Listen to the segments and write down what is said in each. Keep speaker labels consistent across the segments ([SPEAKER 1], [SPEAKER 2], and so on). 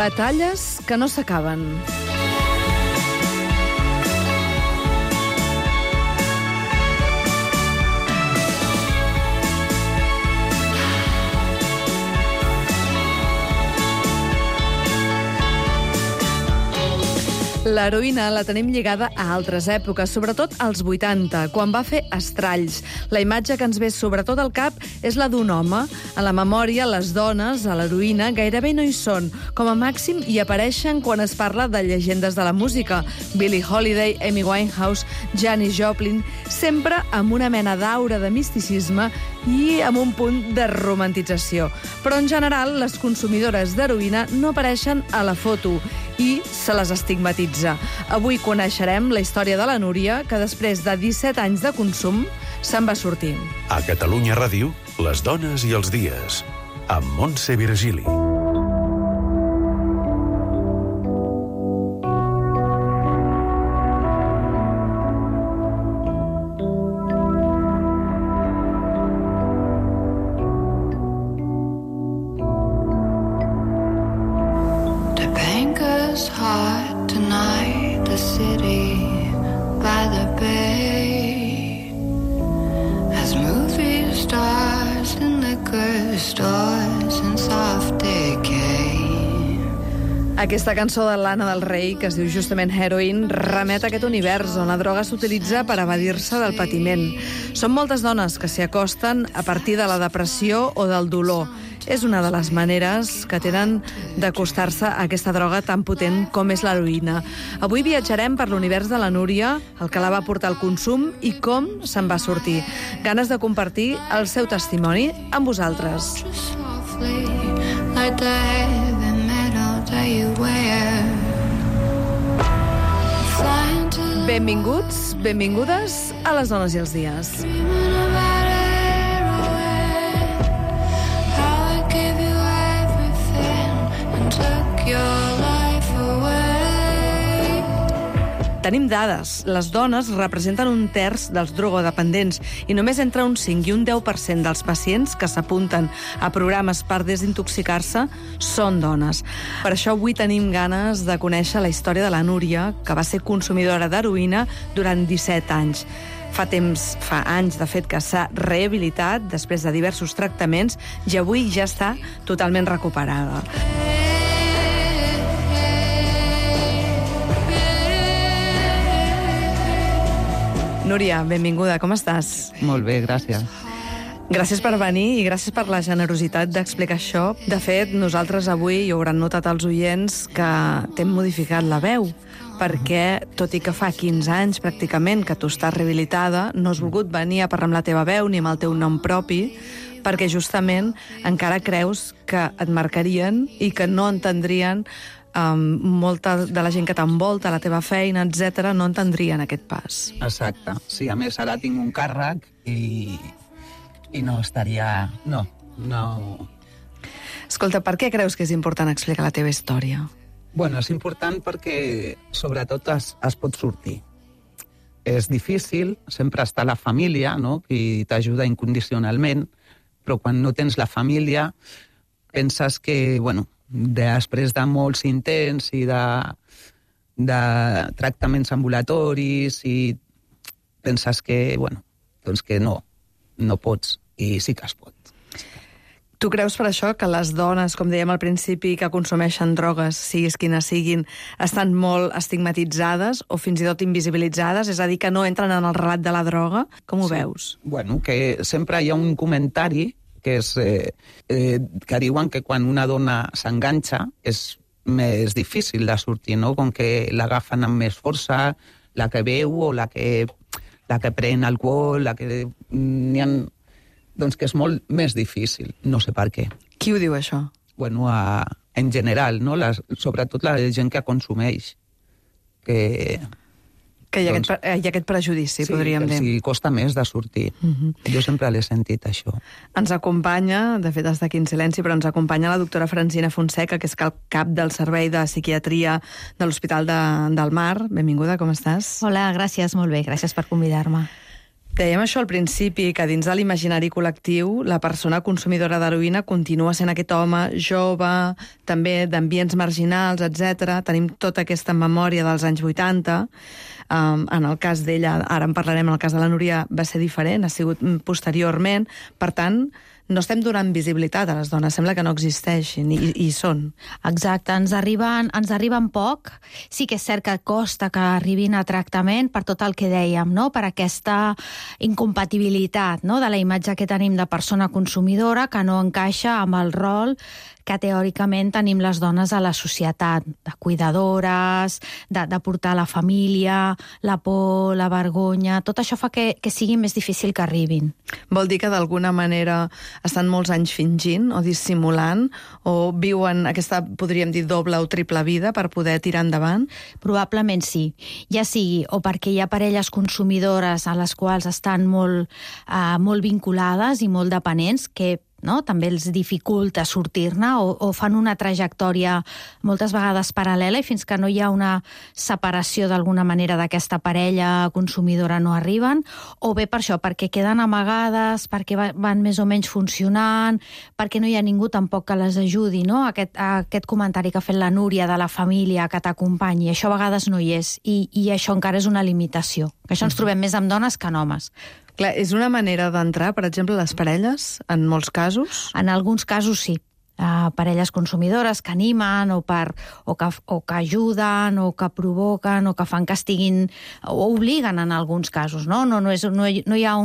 [SPEAKER 1] Batalles que no s'acaben. L'heroïna la tenim lligada a altres èpoques, sobretot als 80, quan va fer Estralls. La imatge que ens ve sobretot al cap és la d'un home. A la memòria, les dones, a l'heroïna, gairebé no hi són. Com a màxim, hi apareixen quan es parla de llegendes de la música. Billie Holiday, Amy Winehouse, Janis Joplin, sempre amb una mena d'aura de misticisme i amb un punt de romantització. Però, en general, les consumidores d'heroïna no apareixen a la foto i se les estigmatitza. Avui coneixerem la història de la Núria, que després de 17 anys de consum se'n va sortir.
[SPEAKER 2] A Catalunya Ràdio, les dones i els dies, amb Montse Virgili.
[SPEAKER 3] Hot tonight, the city by the bay, as movie stars in liquor stores in soft decay.
[SPEAKER 1] Aquesta cançó de Lana del Rei, que es diu justament Heroin, remet a aquest univers on la droga s'utilitza per evadir-se del patiment. Són moltes dones que s'hi acosten a partir de la depressió o del dolor. És una de les maneres que tenen d'acostar-se a aquesta droga tan potent com és l'heroïna. Avui viatjarem per l'univers de la Núria, el que la va portar al consum i com se'n va sortir. Ganes de compartir el seu testimoni amb vosaltres. Benvinguts, benvingudes a les dones i els dies. Tenim dades. Les dones representen un terç dels drogodependents i només entre un 5 i un 10% dels pacients que s'apunten a programes per desintoxicar-se són dones. Per això avui tenim ganes de conèixer la història de la Núria, que va ser consumidora d'heroïna durant 17 anys. Fa anys, de fet, que s'ha rehabilitat després de diversos tractaments i avui ja està totalment recuperada. Núria, benvinguda, com estàs?
[SPEAKER 4] Molt bé, gràcies.
[SPEAKER 1] Gràcies per venir i gràcies per la generositat d'explicar això. De fet, nosaltres avui, i ho hauran notat els oients, que t'hem modificat la veu, perquè, tot i que fa 15 anys pràcticament que tu estàs rehabilitada, no has volgut venir a parlar amb la teva veu ni amb el teu nom propi, perquè justament encara creus que et marcarien i que no entendrien molta de la gent que t'envolta, la teva feina, etc., no entendrien aquest pas.
[SPEAKER 4] Exacte. Sí, a més, ara tinc un càrrec i no estaria... No.
[SPEAKER 1] Escolta, per què creus que és important explicar la teva història?
[SPEAKER 4] Bueno, és important perquè, sobretot, es pot sortir. És difícil, sempre està la família, no?, qui t'ajuda incondicionalment, però quan no tens la família, penses que, bueno, després de molts intents i de tractaments ambulatoris i penses que, bueno, doncs que no pots, i sí que es pot.
[SPEAKER 1] Tu creus per això que les dones, com dèiem al principi, que consumeixen drogues, siguis quines siguin, estan molt estigmatitzades o fins i tot invisibilitzades? És a dir, que no entren en el relat de la droga? Com ho veus?
[SPEAKER 4] Bueno, que sempre hi ha un comentari que és que diuen que quan una dona s'enganxa és més difícil de sortir, no? Com que l'agafen amb més força, la que beu o la que pren alcohol, la que... Doncs que és molt més difícil, no sé per què.
[SPEAKER 1] Qui ho diu, això?
[SPEAKER 4] Bueno, en general, no? Sobretot la gent que consumeix.
[SPEAKER 1] Que hi ha aquest prejudici, podríem dir.
[SPEAKER 4] Sí, costa més de sortir. Jo sempre l'he sentit, això.
[SPEAKER 1] Ens acompanya, de fet està aquí en silenci, però ens acompanya la doctora Francina Fonseca, que és cap del Servei de Psiquiatria de l'Hospital del Mar. Benvinguda, com estàs?
[SPEAKER 5] Hola, gràcies, molt bé, gràcies per convidar-me.
[SPEAKER 1] Dèiem això al principi, que dins de l'imaginari col·lectiu la persona consumidora d'heroïna continua sent aquest home jove, també d'ambients marginals, etc. Tenim tota aquesta memòria dels anys 80. En el cas d'ella, ara en parlarem, en el cas de la Núria va ser diferent, ha sigut posteriorment. Per tant, no estem donant visibilitat a les dones, sembla que no existeixin, i hi són.
[SPEAKER 5] Exacte, ens arriben poc. Sí que és cert que costa que arribin a tractament per tot el que dèiem, no? Per aquesta incompatibilitat, no? De la imatge que tenim de persona consumidora que no encaixa amb el rol que teòricament tenim les dones a la societat, de cuidadores, de portar la família, la por, la vergonya. Tot això fa que sigui més difícil que arribin.
[SPEAKER 1] Vol dir que d'alguna manera estan molts anys fingint o dissimulant o viuen aquesta, podríem dir, doble o triple vida per poder tirar endavant?
[SPEAKER 5] Probablement sí. Ja sigui o perquè hi ha parelles consumidores a les quals estan molt vinculades i molt dependents, que també els dificulta sortir-ne o fan una trajectòria moltes vegades paral·lela i fins que no hi ha una separació d'alguna manera d'aquesta parella consumidora no arriben, o bé per això, perquè queden amagades, perquè van més o menys funcionant, perquè no hi ha ningú tampoc que les ajudi, no? Aquest comentari que ha fet la Núria de la família que t'acompanyi, això a vegades no hi és, i això encara és una limitació, que això ens trobem més amb dones que en homes.
[SPEAKER 1] Clar, és una manera d'entrar, per exemple, les parelles, en molts casos?
[SPEAKER 5] En alguns casos sí. Parelles consumidores que animen o que ajuden o que provoquen o que fan que estiguin o obliguen en alguns casos, no? No hi ha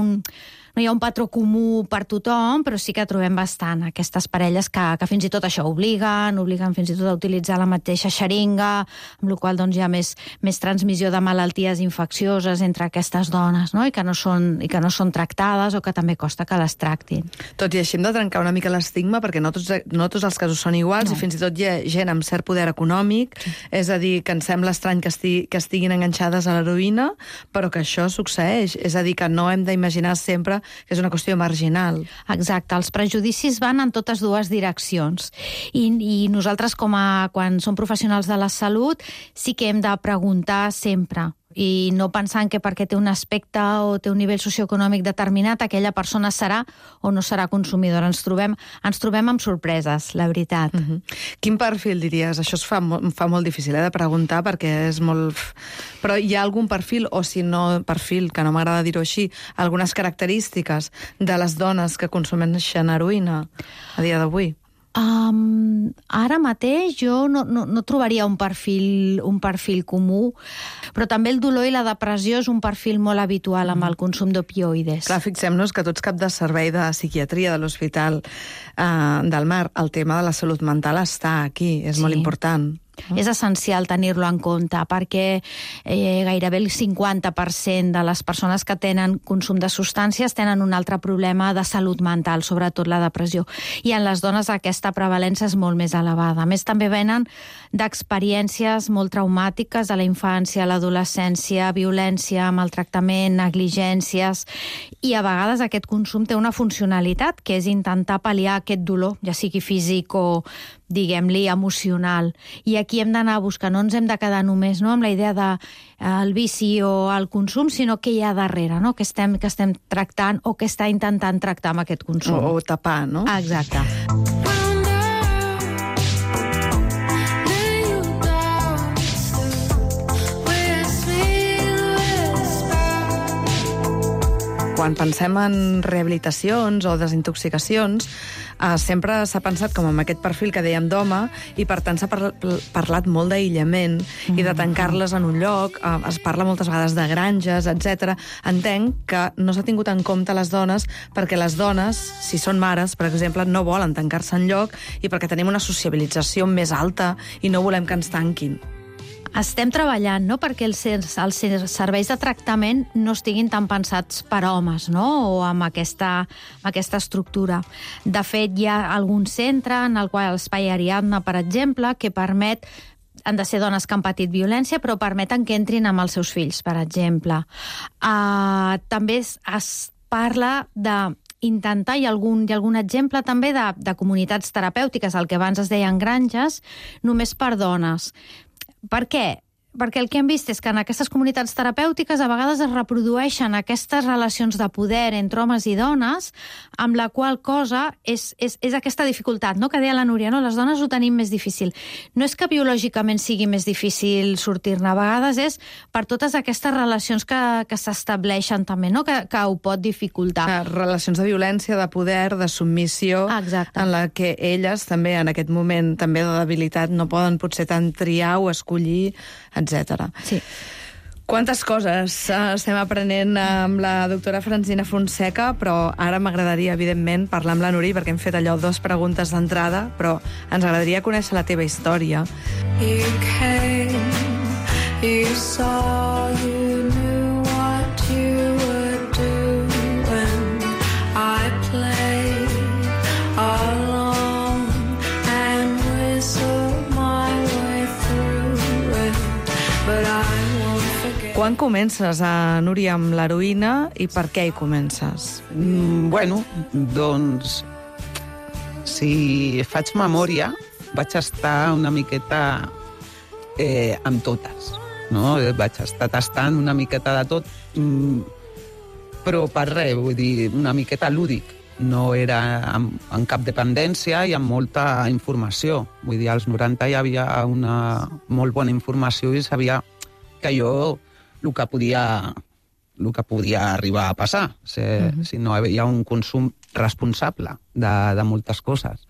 [SPEAKER 5] un patró comú per tothom, però sí que trobem bastant aquestes parelles que fins i tot això obliguen fins i tot a utilitzar la mateixa xeringa, amb la qual doncs, hi ha més transmissió de malalties infeccioses entre aquestes dones, no? I que no són tractades o que també costa que les tractin.
[SPEAKER 1] Tot i així hem de trencar una mica l'estigma perquè no tots els casos són iguals, no. I fins i tot hi ha gent amb cert poder econòmic, sí. És a dir, que ens sembla estrany que estiguin enganxades a l'heroïna, però que això succeeix. És a dir, que no hem d'imaginar sempre que és una qüestió marginal.
[SPEAKER 5] Exacte, els prejudicis van en totes dues direccions. I nosaltres, quan som professionals de la salut, sí que hem de preguntar sempre, i no pensant que perquè té un aspecte o té un nivell socioeconòmic determinat, aquella persona serà o no serà consumidora. Ens trobem amb sorpreses, la veritat.
[SPEAKER 1] Quin perfil diries? Això es fa molt difícil de preguntar perquè és molt... Però hi ha algun perfil, o si no perfil, que no m'agrada dir-ho així, algunes característiques de les dones que consumeixen heroïna a dia d'avui?
[SPEAKER 5] Ara mateix jo no trobaria un perfil comú, però també el dolor i la depressió és un perfil molt habitual amb el consum d'opioides.
[SPEAKER 1] Clar, fixem-nos que tots cap de servei de psiquiatria de l'Hospital del Mar, el tema de la salut mental està aquí, és molt important.
[SPEAKER 5] És essencial tenir-lo en compte perquè gairebé el 50% de les persones que tenen consum de substàncies tenen un altre problema de salut mental, sobretot la depressió. I en les dones aquesta prevalença és molt més elevada. A més, també venen d'experiències molt traumàtiques de la infància, l'adolescència, violència, maltractament, negligències, i a vegades aquest consum té una funcionalitat que és intentar pal·liar aquest dolor, ja sigui físic o, diguem-li, emocional. I aquí hem d'anar a buscar, no ens hem de quedar només amb la idea del vici o el consum, sinó què hi ha darrere, no? Que estem tractant o que està intentant tractar amb aquest consum.
[SPEAKER 1] O tapar, no?
[SPEAKER 5] Exacte.
[SPEAKER 1] Quan pensem en rehabilitacions o desintoxicacions, sempre s'ha pensat com amb aquest perfil que dèiem d'home, i per tant s'ha parlat molt d'aïllament i de tancar-les en un lloc, es parla moltes vegades de granges, etc. Entenc que no s'ha tingut en compte les dones perquè les dones, si són mares, per exemple, no volen tancar-se en lloc i perquè tenim una sociabilització més alta i no volem que ens tanquin.
[SPEAKER 5] Estem treballant, no?, perquè els serveis de tractament no estiguin tan pensats per homes, no?, o amb aquesta estructura. De fet, hi ha algun centre en el qual l'espai Ariadna, per exemple, que permet, han de ser dones que han patit violència, però permeten que entrin amb els seus fills, per exemple. També es parla d'intentar, hi ha algun exemple també de comunitats terapèutiques, el que abans es deien granges, només per dones. Per què? perquè el que hem vist és que en aquestes comunitats terapèutiques a vegades es reprodueixen aquestes relacions de poder entre homes i dones, amb la qual cosa és aquesta dificultat, no? Que deia la Núria, no? Les dones ho tenim més difícil. No és que biològicament sigui més difícil sortir-ne, a vegades és per totes aquestes relacions que s'estableixen també, no? Que ho pot dificultar.
[SPEAKER 1] Relacions de violència, de poder, de submissió, en la que elles també en aquest moment també de debilitat no poden potser tant triar o escollir, etc.
[SPEAKER 5] Sí.
[SPEAKER 1] Quantes coses estem aprenent amb la doctora Francina Fonseca, però ara m'agradaria, evidentment, parlar amb la Núria, perquè hem fet allò 2 preguntes d'entrada, però ens agradaria conèixer la teva història.
[SPEAKER 3] You came, you saw, you knew what you were doing. I played along and whistled my way through it, but I won't forget.
[SPEAKER 1] Quan comences, Núria, amb l'heroïna i per què hi comences?
[SPEAKER 4] Bueno, doncs, si faig memòria, vaig estar una miqueta amb totes, no? Vaig estar tastant una miqueta de tot, però per res, vull dir, una miqueta lúdic. No era en cap dependència i amb molta informació. Vull dir, als 90 hi havia una molt bona informació i sabia que jo el que podia arribar a passar, si no hi havia un consum responsable de moltes coses.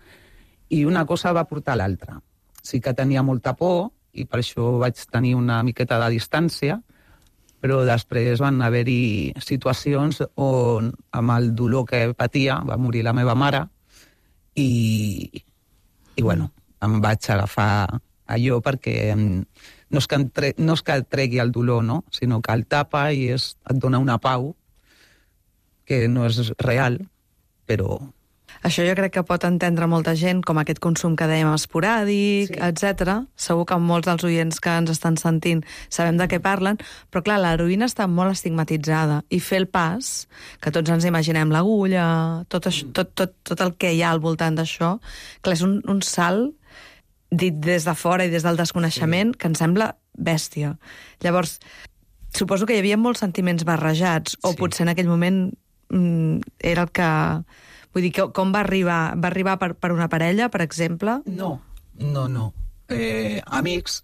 [SPEAKER 4] I una cosa va portar a l'altra. Sí que tenia molta por i per això vaig tenir una miqueta de distància, però després van haver-hi situacions on, amb el dolor que patia, va morir la meva mare i bueno, em vaig agafar allò perquè no és que et tregui el dolor, no? Sinó que el tapa i et dona una pau que no és real, però...
[SPEAKER 1] Això jo crec que pot entendre molta gent, com aquest consum que dèiem esporàdic, etc. Segur que molts dels oients que ens estan sentint sabem de què parlen, però clar, l'heroïna està molt estigmatitzada i fer el pas, que tots ens imaginem l'agulla, tot el que hi ha al voltant d'això, clar, és un salt dit des de fora i des del desconeixement que ens sembla bèstia. Llavors, suposo que hi havia molts sentiments barrejats, o potser en aquell moment era el que... Vull dir, com va arribar? Va arribar per una parella, per exemple?
[SPEAKER 4] No. Amics,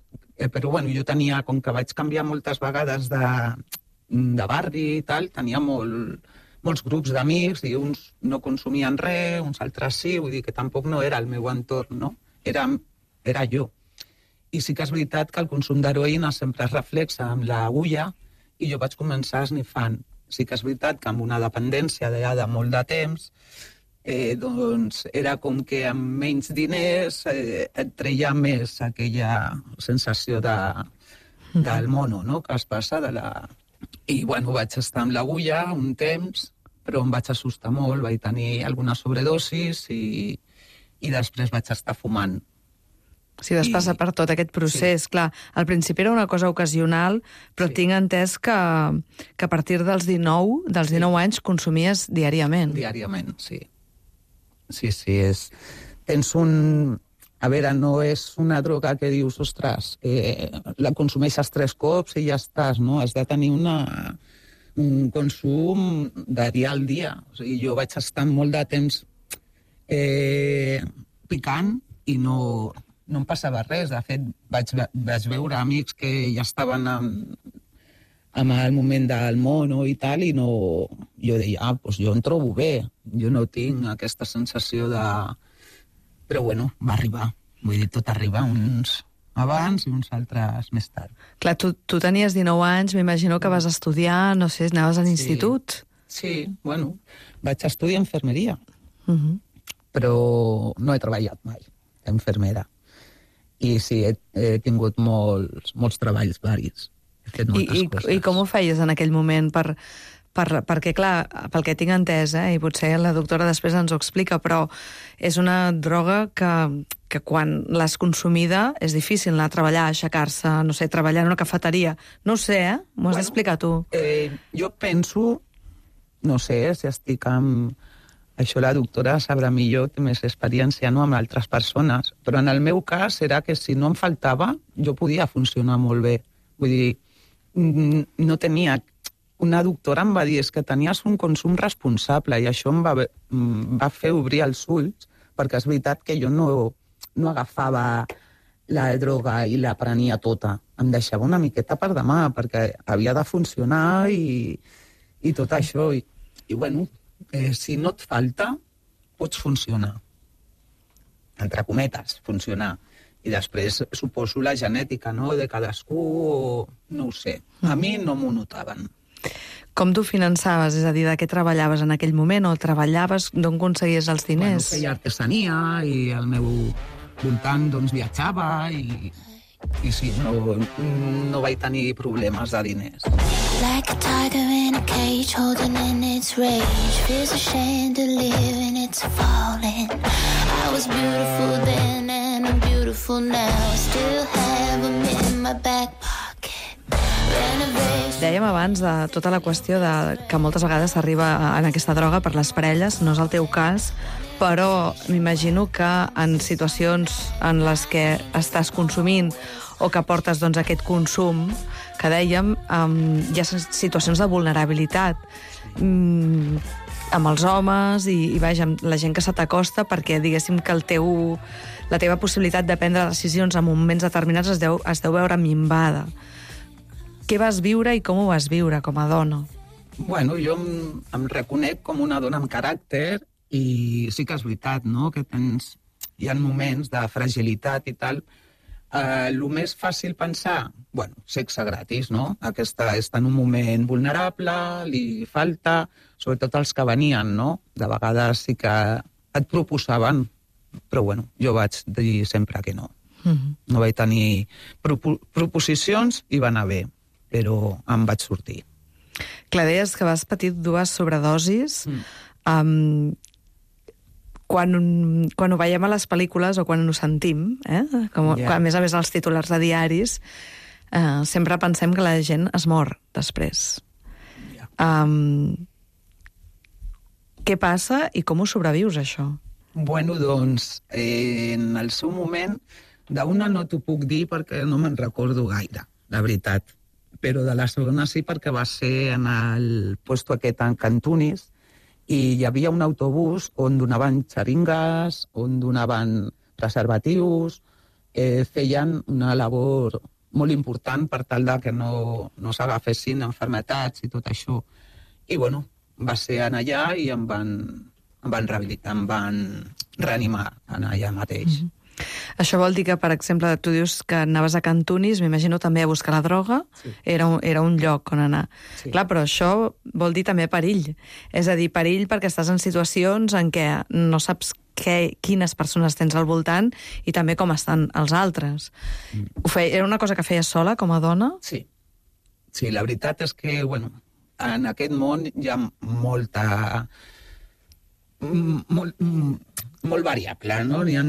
[SPEAKER 4] però bueno, jo tenia, com que vaig canviar moltes vegades de barri i tal, tenia molts grups d'amics i uns no consumien res, uns altres sí, vull dir que tampoc no era el meu entorn, no? Era jo. I sí que és veritat que el consum d'heroïna sempre es reflexa amb l'agulla i jo vaig començar esnifant. Sí que és veritat que amb una dependència de molt de temps doncs era com que amb menys diners et treia més aquella sensació del mono, no?, que es passa de la... I, bueno, vaig estar amb l'agulla un temps, però em vaig assustar molt, vaig tenir alguna sobredosis i després vaig estar fumant.
[SPEAKER 1] Si vas passar per tot aquest procés, clar, al principi era una cosa ocasional, però tinc entès que a partir dels 19 anys consumies diàriament.
[SPEAKER 4] Diàriament, sí. Sí, tens un... A veure, no és una droga que dius, ostres, la consumeixes 3 cops i ja estàs, no? Has de tenir un consum de dia al dia. O sigui, jo vaig estar molt de temps picant i no em passava res. De fet, vaig veure amics que ja estaven amb el moment del mono i tal, i no... Jo deia, doncs jo em trobo bé, jo no tinc aquesta sensació de... Però bueno, va arribar. Vull dir, tot arriba, uns abans i uns altres més tard.
[SPEAKER 1] Clar, tu tenies 19 anys, m'imagino que vas estudiar, no sé, anaves a l'institut?
[SPEAKER 4] Sí, bueno, vaig estudiar infermeria, però no he treballat mai d'infermera. I sí, he tingut molts treballs varis. He fet moltes coses.
[SPEAKER 1] I com ho feies en aquell moment? Perquè, clar, pel que tinc entès, i potser la doctora després ens ho explica, però és una droga que quan l'has consumida és difícil anar a treballar, aixecar-se, no sé, treballar en una cafeteria. No ho sé, m'ho has d'explicar tu.
[SPEAKER 4] Jo penso, no sé, si estic amb... Això la doctora sabrà millor, té més experiència, no?, amb altres persones. Però en el meu cas era que si no em faltava, jo podia funcionar molt bé. Vull dir, no tenia... Una doctora em va dir és que tenies un consum responsable i això em va fer obrir els ulls, perquè és veritat que jo no agafava la droga i la prenia tota. Em deixava una miqueta per demà, perquè havia de funcionar i tot això. I bueno, si no et falta, pots funcionar. Entre cometes, funcionar. I després suposo la genètica, no?, de cadascú, no ho sé. A mi no m'ho notaven.
[SPEAKER 1] Com tu finançaves? És a dir, de què treballaves en aquell moment? O treballaves, d'on aconseguies els diners?
[SPEAKER 4] Bueno, feia artesania i al meu voltant doncs, viatjava i sí, no vaig tenir problemes de diners.
[SPEAKER 3] Like a tiger in a cage holding in its rage, feels ashamed to live and it's falling. I was beautiful then and I'm beautiful now. I still have them in my back pocket.
[SPEAKER 1] Dèiem abans de tota la qüestió de que moltes vegades s'arriba en aquesta droga per les parelles, no és el teu cas, però m'imagino que en situacions en les que estàs consumint o que portes doncs, aquest consum, que dèiem, hi ha situacions de vulnerabilitat amb els homes i vaja, amb la gent que se t'acosta, perquè diguéssim que la teva possibilitat de prendre decisions en moments determinats es deu veure minvada. Què vas viure i com ho vas viure com a dona?
[SPEAKER 4] Bueno, jo em reconec com una dona amb caràcter i sí que és veritat, no?, que hi ha moments de fragilitat i tal. El més fàcil pensar, bueno, sexe gratis, no? Aquesta està en un moment vulnerable, li falta, sobretot els que venien, no? De vegades sí que et proposaven, però bueno, jo vaig dir sempre que no. No vaig tenir proposicions i va anar bé, però em vaig sortir.
[SPEAKER 1] Clar, deies que vas patir 2 sobredosis. Quan ho veiem a les pel·lícules o quan ho sentim, quan, a més els titulars de diaris, sempre pensem que la gent es mor després. Què passa i com ho sobrevius, això?
[SPEAKER 4] Bueno, doncs, en el seu moment, d'una no t'ho puc dir perquè no me'n recordo gaire, la veritat. Però de la segona sí, perquè va ser en el puesto aquest en Cantunis i hi havia un autobús on donaven xeringues, on donaven preservatius, feien una labor molt important per tal de que no s'agafessin malalties i tot això. I bueno, va ser allà i em van rehabilitar, em van reanimar allà mateix.
[SPEAKER 1] Això vol dir que, per exemple, tu dius que anaves a Cantunis, m'imagino també a buscar la droga, sí. Era un lloc on anar. Sí. Clar, però això vol dir també perill. És a dir, perill perquè estàs en situacions en què no saps quines persones tens al voltant i també com estan els altres. Era una cosa que feies sola, com a dona?
[SPEAKER 4] Sí. Sí, la veritat és que, bueno, en aquest món hi ha molt variable, no? Hi ha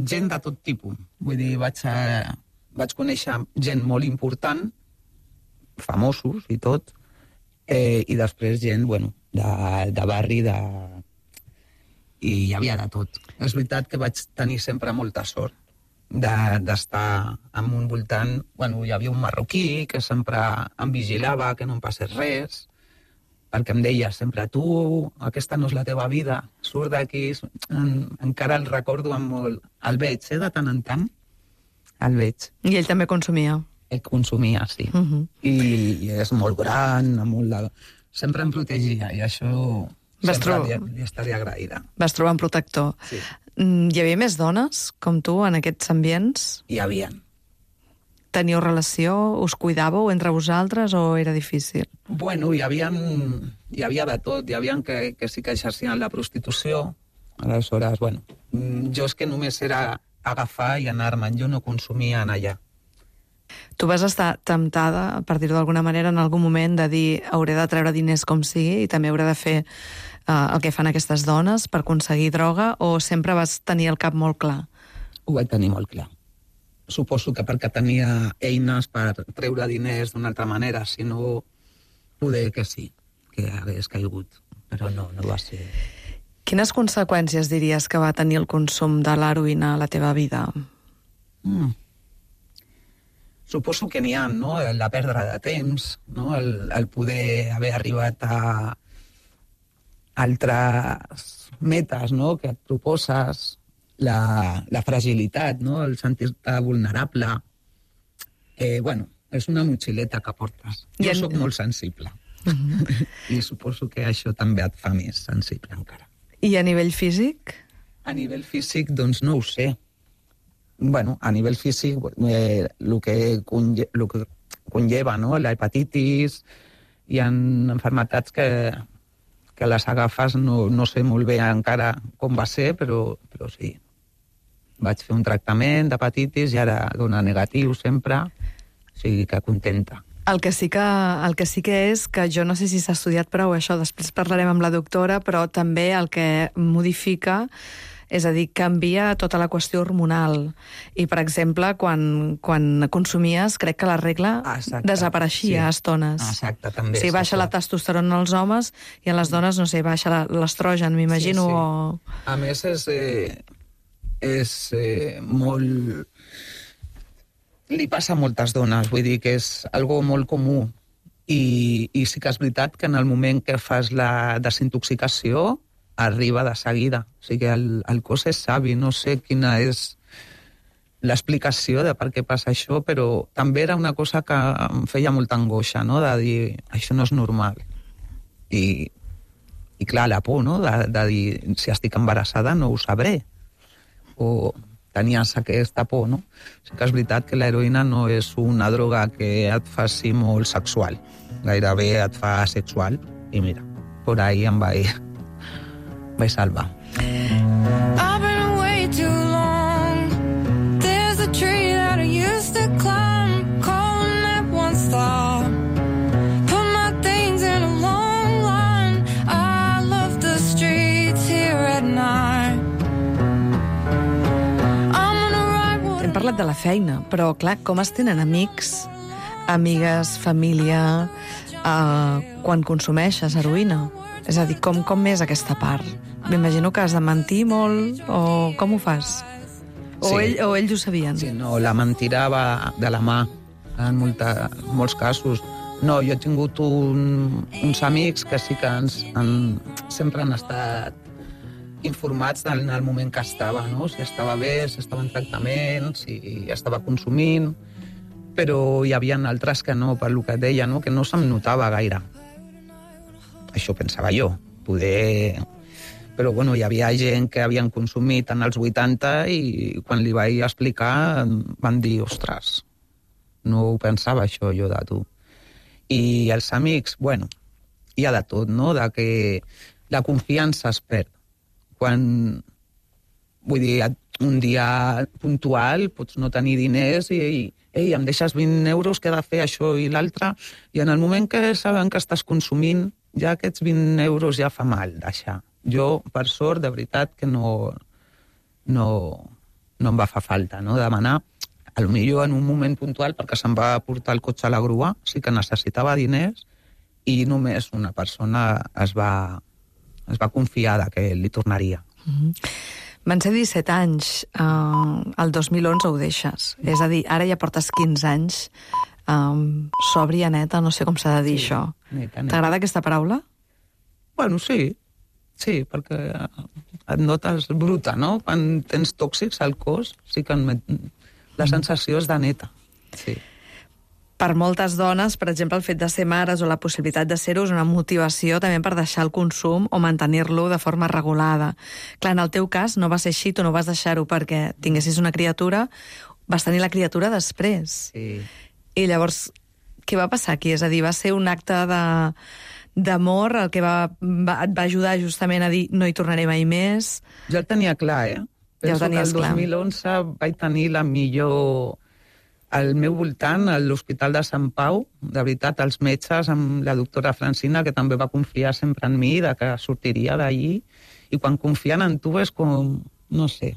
[SPEAKER 4] gent de tot tipus. Vull dir, vaig conèixer gent molt important, famosos i tot, i després gent, bueno, de barri, i hi havia de tot. És veritat que vaig tenir sempre molta sort d'estar en un voltant... Bueno, hi havia un marroquí que sempre em vigilava, que no em passés res, perquè em deia sempre, tu, aquesta no és la teva vida, surt d'aquí, encara el recordo amb molt... El veig, de tant en tant, el veig.
[SPEAKER 1] I ell també consumia?
[SPEAKER 4] Ell consumia, sí. I és molt gran, sempre em protegia, i això sempre li estaria agraïda.
[SPEAKER 1] Vas trobar un protector.
[SPEAKER 4] Sí.
[SPEAKER 1] Hi havia més dones, com tu, en aquests ambients?
[SPEAKER 4] Hi havia.
[SPEAKER 1] Teníeu relació? Us cuidàveu entre vosaltres o era difícil?
[SPEAKER 4] Bueno, hi havia de tot. Hi havia que sí que exercien la prostitució. Aleshores, bueno, jo és que només era agafar i anar-me'n. Jo no consumia en allà.
[SPEAKER 1] Tu vas estar temptada, per dir-ho d'alguna manera, en algun moment de dir hauré de treure diners com sigui i també hauré de fer el que fan aquestes dones per aconseguir droga, o sempre vas tenir el cap molt clar?
[SPEAKER 4] Ho vaig tenir molt clar. Suposo que perquè tenia eines per treure diners d'una altra manera, si no, poder que sí, que hagués caigut, però no va ser...
[SPEAKER 1] Quines conseqüències diries que va tenir el consum de l'heroïna a la teva vida?
[SPEAKER 4] suposo que n'hi ha, no? La pèrdua de temps, no? El poder haver arribat a altres metes, no? Que et proposes, la fragilitat, no? El sentir-te vulnerable. Bueno, és una motxileta que portes. Jo sóc molt sensible. I suposo que això també et fa més sensible encara.
[SPEAKER 1] I a nivell físic?
[SPEAKER 4] A nivell físic, doncs no ho sé. Bueno, a nivell físic, el que conlleva, no? La hepatitis, hi ha malalties que les agafes, no sé molt bé encara com va ser, però sí. Vaig fer un tractament d'hepatitis i ara dona negatiu sempre, o sigui que contenta.
[SPEAKER 1] El que sí que és que jo no sé si s'ha estudiat prou això, després parlarem amb la doctora, però també el que modifica, és a dir, canvia tota la qüestió hormonal. I, per exemple, quan consumies, crec que la regla desapareixia a estones.
[SPEAKER 4] Exacte, també.
[SPEAKER 1] Sí, baixa la testosterona als homes i a les dones, no sé, baixa l'estrogen, m'imagino.
[SPEAKER 4] Sí. A més, és molt... Li passa a moltes dones, vull dir que és algo molt comú. I sí que és veritat que en el moment que fas la desintoxicació arriba de seguida. O sigui que el cos és savi, no sé quina és l'explicació de per què passa això, però també era una cosa que em feia molta angoixa, no? De dir, això no és normal. I clar, la por, no? De dir, si estic embarassada no ho sabré. O tenies aquesta por, no? Sí que és veritat que l'heroïna no és una droga que et faci molt sexual. Gairebé et fa sexual. I mira, por ahí em vaig salvar.
[SPEAKER 6] I've been away too long. There's a tree that I used to climb, calling that one stop. Put my things in a long line. I love the streets here at night.
[SPEAKER 1] Hem parlat de la feina, però clar, com es tenen amics, amigues, família, quan consumeixes heroïna? És a dir, com és aquesta part? M'imagino que has de mentir molt, o com ho fas? O ells ho sabien?
[SPEAKER 4] Sí, no, la mentira va de la mà, en molts casos. No, jo he tingut uns amics que sí que sempre han estat informats en el moment que estava, no? Si estava bé, si estava en tractament, si estava consumint, però hi havia altres que no, per lo que deia, no? Que no se'm notava gaire. Això pensava jo, poder... Però bueno, hi havia gent que havien consumit en els 80 i quan li vaig explicar van dir, ostres, no ho pensava això jo de tu. I els amics, bueno, hi ha de tot, no? De que la confiança es perd. Quan, vull dir, un dia puntual pots no tenir diners i em deixes 20 euros que he de fer això i l'altre, i en el moment que saben que estàs consumint, ja aquests 20 euros ja fa mal deixar. Jo, per sort, de veritat que no em va fer falta, no? Demanar, potser en un moment puntual, perquè se'm va portar el cotxe a la grua, sí que necessitava diners, i només una persona es va confiar que li tornaria.
[SPEAKER 1] Van ser 17 anys, el 2011 ho deixes. És a dir, ara ja portes 15 anys sòbria, neta, no sé com s'ha de dir això.
[SPEAKER 4] Neta.
[SPEAKER 1] T'agrada aquesta paraula?
[SPEAKER 4] Bueno, sí, perquè et notes bruta, no? Quan tens tòxics al cos, sí que la sensació és de neta. Sí.
[SPEAKER 1] Per moltes dones, per exemple, el fet de ser mares o la possibilitat de ser-ho és una motivació també per deixar el consum o mantenir-lo de forma regulada. Clar, en el teu cas no va ser així, tu no vas deixar-ho perquè tinguessis una criatura, vas tenir la criatura després.
[SPEAKER 4] Sí.
[SPEAKER 1] I llavors, què va passar aquí? És a dir, va ser un acte d'amor el que et va ajudar justament a dir no hi tornaré mai més?
[SPEAKER 4] Jo el tenia clar,
[SPEAKER 1] Ja ho tenies clar.
[SPEAKER 4] El 2011 vaig tenir la millor... Al meu voltant, a l'Hospital de Sant Pau, de veritat, els metges, amb la doctora Francina, que també va confiar sempre en mi, que sortiria d'allí, i quan confien en tu és com, no sé,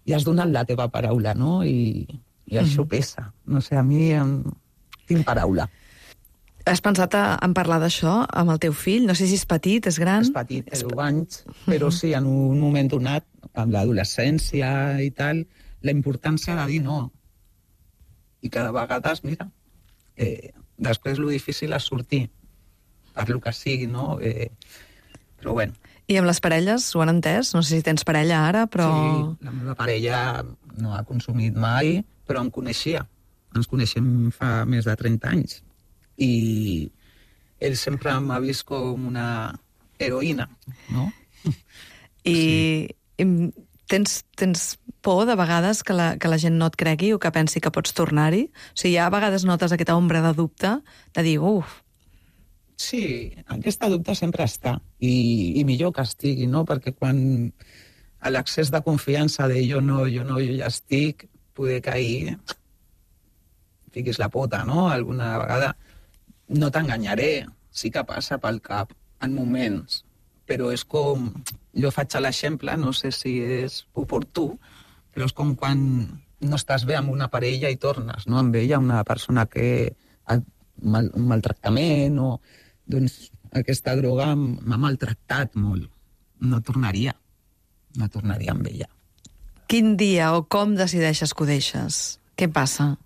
[SPEAKER 4] i has donat la teva paraula, no? I això pesa. No sé, a mi tinc paraula.
[SPEAKER 1] Has pensat en parlar d'això amb el teu fill? No sé si és petit, és gran?
[SPEAKER 4] És petit, té 10 anys, però sí, en un moment donat, amb l'adolescència i tal, la importància de dir no. I cada vegada, mira, després lo difícil és sortir, per lo que sigui, no? Però bueno.
[SPEAKER 1] I amb les parelles ho han entès? No sé si tens parella ara, però...
[SPEAKER 4] Sí, la meva parella no ha consumit mai, però em coneixia. Ens coneixem fa més de 30 anys. I ell sempre m'ha vist com una heroïna, no?
[SPEAKER 1] I tens por de vegades que la gent no et cregui o que pensi que pots tornar-hi? O sigui, a vegades notes aquesta ombra de dubte de dir, uf...
[SPEAKER 4] Sí, aquesta dubte sempre està, i millor que estigui, no? Perquè quan a l'accés de confiança de jo ja estic, poder cair, fiquis la pota, no? Alguna vegada no t'enganyaré, sí que passa pel cap en moments, però és com... Jo faig l'exemple, no sé si és oportú, però és com quan no estàs bé amb una parella i tornes, no? Amb ella, una persona que ha un maltractament o... Doncs aquesta droga m'ha maltractat molt. No tornaria amb ella.
[SPEAKER 1] Quin dia o com decideixes que ho deixes? Què passa?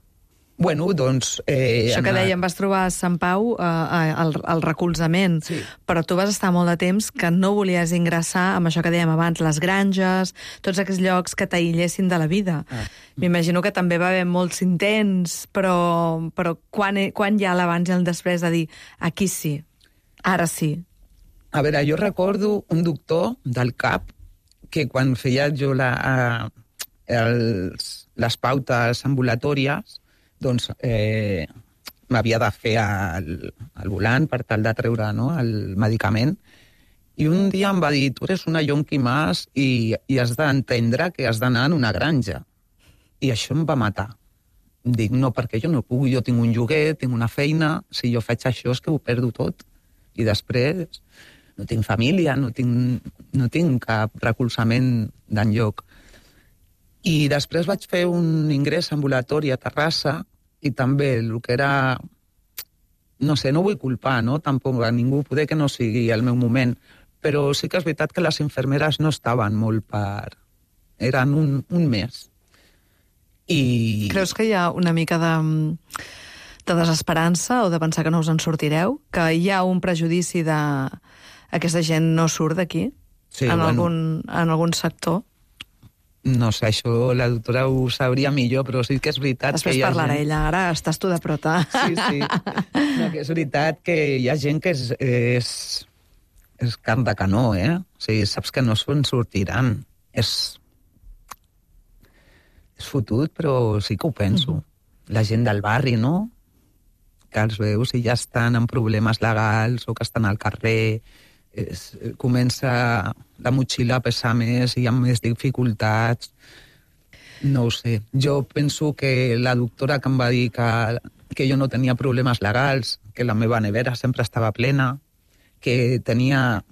[SPEAKER 4] Bueno, doncs...
[SPEAKER 1] Això que dèiem, vas trobar a Sant Pau el recolzament,
[SPEAKER 4] sí.
[SPEAKER 1] Però tu vas estar molt de temps que no volies ingressar amb això que dèiem abans, les granges, tots aquests llocs que t'aïllessin de la vida. M'imagino que també va haver molts intents, però quan hi ha l'abans i el després de dir aquí sí, ara sí?
[SPEAKER 4] A veure, jo recordo un doctor del CAP que quan feia jo les pautes ambulatòries, doncs m'havia de fer el volant per tal de treure, no, el medicament. I un dia em va dir, tu eres una yonqui más i has d'entendre que has d'anar en una granja. I això em va matar. Dic, no, perquè jo no puc, jo tinc un lloguer, tinc una feina, si jo faig això és que ho perdo tot. I després no tinc família, no tinc cap recolzament d'enlloc. I després vaig fer un ingrés ambulatori a Terrassa i també el que era... No sé, no vull culpar, no? Tampoc a ningú, poder que no sigui el meu moment, però sí que és veritat que les infermeres no estaven molt per... Eren un mes. I...
[SPEAKER 1] Creus que hi ha una mica de desesperança o de pensar que no us en sortireu? Que hi ha un prejudici de aquesta gent no surt d'aquí?
[SPEAKER 4] Sí,
[SPEAKER 1] en algun sector?
[SPEAKER 4] No sé, això la doctora ho sabria millor, però sí que és veritat
[SPEAKER 1] Després
[SPEAKER 4] que hi ha
[SPEAKER 1] parlarà
[SPEAKER 4] gent...
[SPEAKER 1] ella, ara estàs tu de prota.
[SPEAKER 4] Sí. No, que és veritat que hi ha gent que és carn de canó, eh? O sigui, saps que no se'n sortiran. És fotut, però sí que ho penso. La gent del barri, no? Que els veus i ja estan amb problemes legals o que estan al carrer, comença la motxilla a pesar més, hi ha més dificultats. No ho sé. Jo penso que la doctora que em va dir que jo no tenia problemes legals, que la meva nevera sempre estava plena, que tenia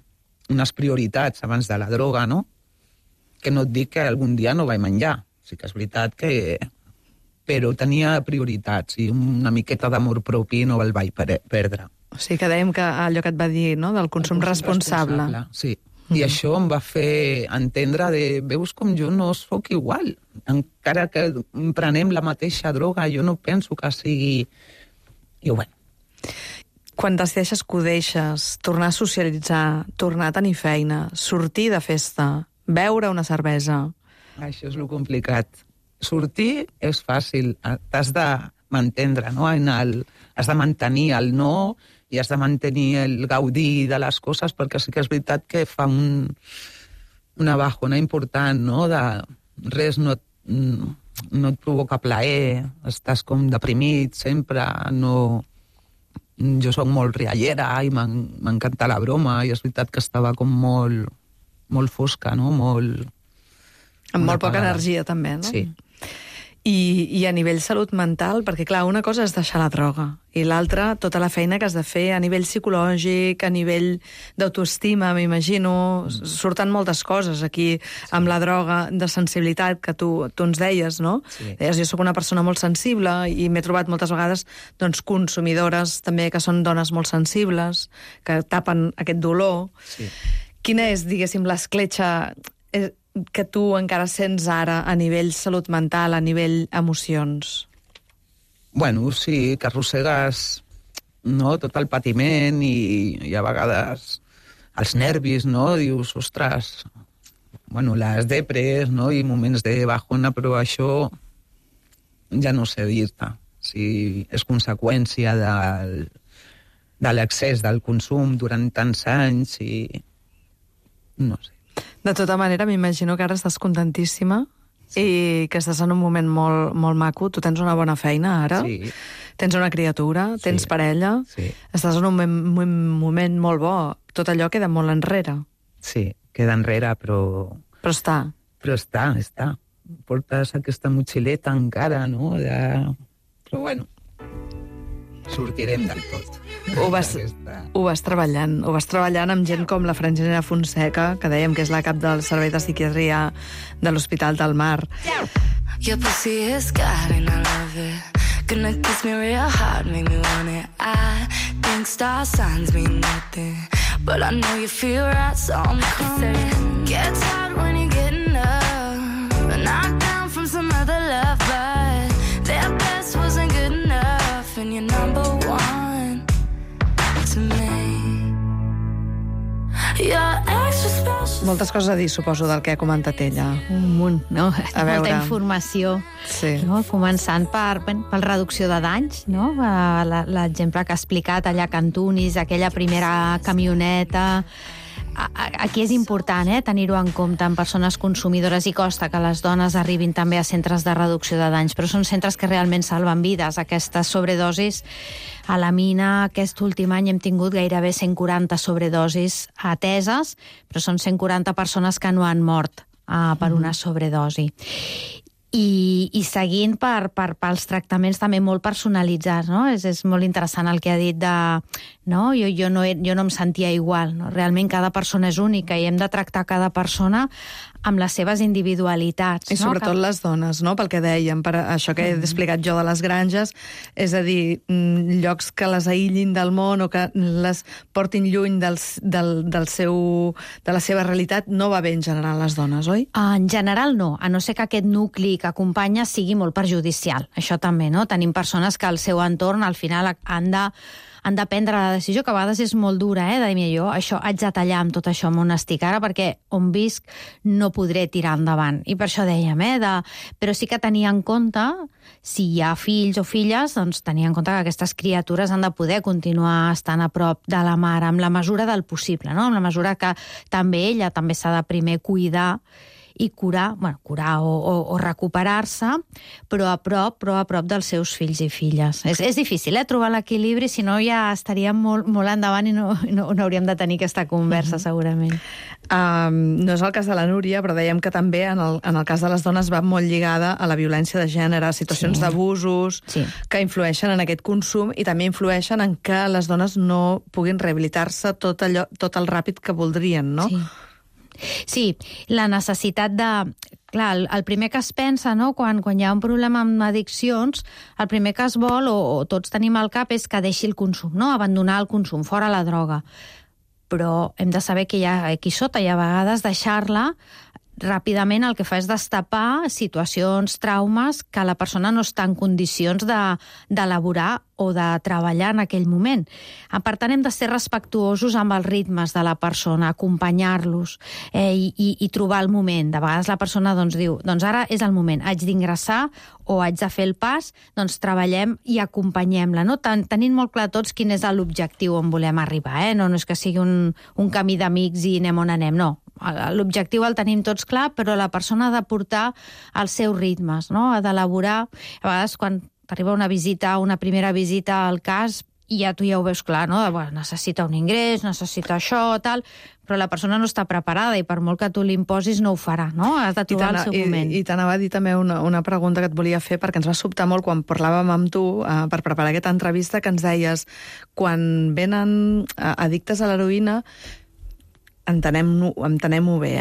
[SPEAKER 4] unes prioritats abans de la droga, no? Que no et dic que algun dia no vaig menjar. Sí que és veritat que... Però tenia prioritats i una miqueta d'amor propi no el vaig perdre.
[SPEAKER 1] O sigui que dèiem que allò que et va dir, no?, del consum responsable.
[SPEAKER 4] Sí. I això em va fer entendre de... Veus com jo no sóc igual. Encara que prenem la mateixa droga, jo no penso que sigui... I bueno.
[SPEAKER 1] Quan decideixes que ho deixes, tornar a socialitzar, tornar a tenir feina, sortir de festa, beure una cervesa...
[SPEAKER 4] Això és lo complicat. Sortir és fàcil, t'has de mantendre, no? Has de mantenir el no i has de mantenir el gaudir de les coses, perquè sí que és veritat que fa una bajona important, no? Res no et provoca plaer, estàs com deprimit sempre, no... Jo soc molt riallera i m'encanta la broma, i és veritat que estava com molt fosca, no?
[SPEAKER 1] Amb molt poca energia, també, no?
[SPEAKER 4] Sí.
[SPEAKER 1] I a nivell salut mental, perquè, clar, una cosa és deixar la droga, i l'altra, tota la feina que has de fer a nivell psicològic, a nivell d'autoestima, m'imagino, surten moltes coses aquí amb la droga, de sensibilitat, que tu ens deies, no?
[SPEAKER 4] Sí.
[SPEAKER 1] Deies, jo sóc una persona molt sensible i m'he trobat moltes vegades doncs, consumidores també que són dones molt sensibles, que tapen aquest dolor.
[SPEAKER 4] Sí.
[SPEAKER 1] Quina és, diguéssim, l'escletxa que tu encara sents ara a nivell salut mental, a nivell emocions?
[SPEAKER 4] Bueno, sí, que arrossegues tot el patiment i a vegades els nervis, no? Dius, ostres, bueno, les depres, no? I moments de bajona, però això ja no sé dir-te. Si és conseqüència de l'excés del consum durant tants anys i... no sé.
[SPEAKER 1] De tota manera, m'imagino que ara estàs contentíssima i que estàs en un moment molt, molt maco. Tu tens una bona feina ara,
[SPEAKER 4] Sí.
[SPEAKER 1] tens una criatura, tens parella,
[SPEAKER 4] Sí.
[SPEAKER 1] estàs en un moment molt bo. Tot allò queda molt enrere.
[SPEAKER 4] Sí, queda enrere, però
[SPEAKER 1] Però està. Portes aquesta motxileta encara, no? Però bueno, sortirem del tot. Ho vas treballant amb gent com la Franginera Fonseca, que dèiem que és la cap del Servei de Psiquiatria de l'Hospital del Mar.
[SPEAKER 6] Your pussy is God and I love it. Gonna kiss me real hard, make me want it. I think star signs mean nothing, but I know you feel right, so I'm coming. Get tired when you're getting up, knocked down from some other love, but their best wasn't good enough, and you're number one to me. Your ex was special.
[SPEAKER 1] Moltes coses a dir, suposo, del que ha comentat ella.
[SPEAKER 5] Un munt, no?
[SPEAKER 1] A veure.
[SPEAKER 5] Molta informació.
[SPEAKER 1] Sí.
[SPEAKER 5] No? Començant per reducció de danys, no? L'exemple que ha explicat allà a Cantunis, aquella primera camioneta. Aquí és important tenir-ho en compte en persones consumidores i costa que les dones arribin també a centres de reducció de danys, però són centres que realment salven vides. Aquestes sobredosis a la mina aquest últim any hem tingut gairebé 140 sobredosis ateses, però són 140 persones que no han mort per una sobredosi. I seguint pels tractaments també molt personalitzats, no? És molt interessant el que ha dit de... No? Jo no em sentia igual, no? Realment cada persona és única i hem de tractar cada persona amb les seves individualitats.
[SPEAKER 1] I sobretot les dones, no? Pel que dèiem, per això que he explicat jo de les granges, és a dir, llocs que les aïllin del món o que les portin lluny de la seva realitat, no va bé en general les dones, oi?
[SPEAKER 5] En general no, a no ser que aquest nucli que acompanya sigui molt perjudicial. Això també, no? Tenim persones que al seu entorn al final han de prendre la decisió, que a vegades és molt dura, de dir, jo haig de tallar amb tot això on estic ara, perquè on visc no podré tirar endavant. I per això dèiem, però sí que tenir en compte, si hi ha fills o filles, doncs tenir en compte que aquestes criatures han de poder continuar estant a prop de la mare, amb la mesura del possible, no? Amb la mesura que també ella també s'ha de primer cuidar i curar o recuperar-se, però a prop dels seus fills i filles. És difícil, trobar l'equilibri, si no ja estaríem molt endavant i no hauríem de tenir aquesta conversa, segurament.
[SPEAKER 1] No és el cas de la Núria, però dèiem que també en el cas de les dones va molt lligada a la violència de gènere, a situacions d'abusos que influeixen en aquest consum i també influeixen en que les dones no puguin rehabilitar-se tot el ràpid que voldrien, no?
[SPEAKER 5] Sí, la necessitat de... Clar, el primer que es pensa, no?, quan hi ha un problema amb addiccions, el primer que es vol, o tots tenim al cap, és que deixi el consum, no?, abandonar el consum, fora la droga. Però hem de saber que hi ha aquí sota, i a vegades deixar-la ràpidament el que fa és destapar situacions, traumes, que la persona no està en condicions d'elaborar o de treballar en aquell moment. Per tant, hem de ser respectuosos amb els ritmes de la persona, acompanyar-los i trobar el moment. De vegades la persona diu, ara és el moment, haig d'ingressar o haig de fer el pas, doncs treballem i acompanyem-la, no? Tenint molt clar tots quin és l'objectiu on volem arribar, no és que sigui un camí d'amics i anem on anem, no. L'objectiu el tenim tots clar, però la persona ha de portar els seus ritmes, no? Ha d'elaborar. A vegades, quan t'arriba una primera visita al cas, i ja tu ja ho veus clar, no? Necessita un ingrés, necessita això, tal, però la persona no està preparada i per molt que tu li imposis no ho farà, no? Has de trobar el seu moment.
[SPEAKER 1] I t'anava a dir també una pregunta que et volia fer, perquè ens va sobtar molt quan parlàvem amb tu per preparar aquesta entrevista, que ens deies, quan venen addictes a l'heroïna, entenem-ho bé,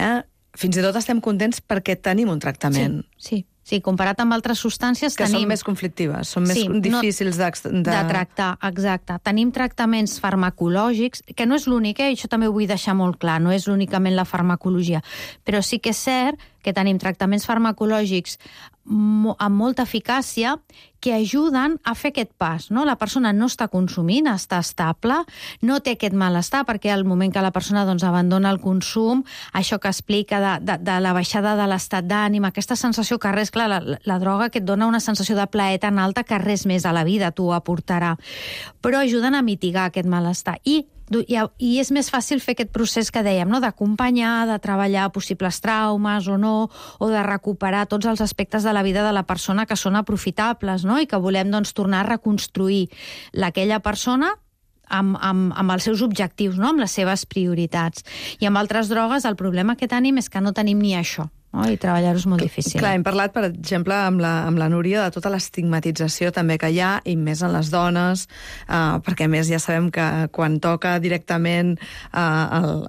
[SPEAKER 1] fins i tot estem contents perquè tenim un tractament.
[SPEAKER 5] Sí, comparat amb altres substàncies
[SPEAKER 1] que són més conflictives, són més difícils de
[SPEAKER 5] tractar, exacte. Tenim tractaments farmacològics, que no és l'únic, això també ho vull deixar molt clar, no és únicament la farmacologia, però sí que és cert que tenim tractaments farmacològics amb molta eficàcia que ajuden a fer aquest pas, no? La persona no està consumint, està estable, no té aquest malestar, perquè al moment que la persona doncs, abandona el consum, això que explica de la baixada de l'estat d'ànim, aquesta sensació que res, clar, la droga que et dona una sensació de plaer tan alta que res més a la vida t'ho aportarà. Però ajuden a mitigar aquest malestar. I és més fàcil fer aquest procés que dèiem, no? D'acompanyar, de treballar possibles traumes o no, o de recuperar tots els aspectes de la vida de la persona que són aprofitables, no? I que volem doncs, tornar a reconstruir aquella persona amb els seus objectius, no? Amb les seves prioritats. I amb altres drogues el problema que tenim és que no tenim ni això. No? I treballar-ho és molt difícil.
[SPEAKER 1] Clar, hem parlat, per exemple, amb la Núria de tota l'estigmatització també que hi ha, i més en les dones, perquè a més ja sabem que quan toca directament el